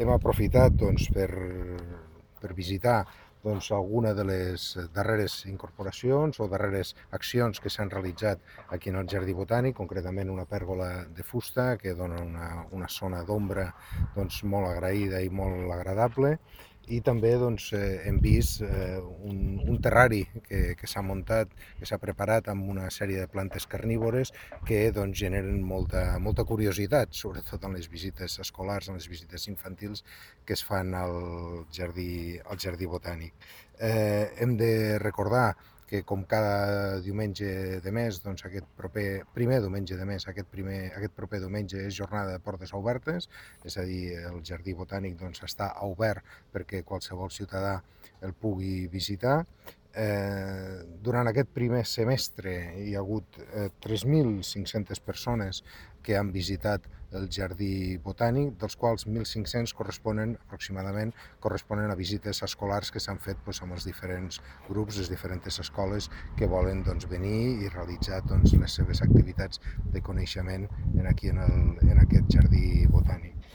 hem aprofitat per visitar alguna de les darreres incorporacions o darreres accions que s'han realitzat aquí en el Jardí Botànic, concretament una pèrgola de fusta que dona una zona d'ombra molt agraïda i molt agradable, i també hem vist un terrari que s'ha muntat, que s'ha preparat amb una sèrie de plantes carnívores que generen molta curiositat, sobretot en les visites escolars, en les visites infantils que es fan al jardí botànic. Hem de recordar que com cada diumenge de mes, aquest primer diumenge de mes, aquest proper diumenge és jornada de portes obertes, és a dir, el Jardí Botànic està obert perquè qualsevol ciutadà el pugui visitar. Durant aquest primer semestre hi ha hagut 3.500 persones que han visitat el Jardí Botànic, dels quals 1.500 aproximadament corresponen a visites escolars que s'han fet amb els diferents grups, les diferents escoles que volen venir i realitzar les seves activitats de coneixement aquí en aquest Jardí Botànic.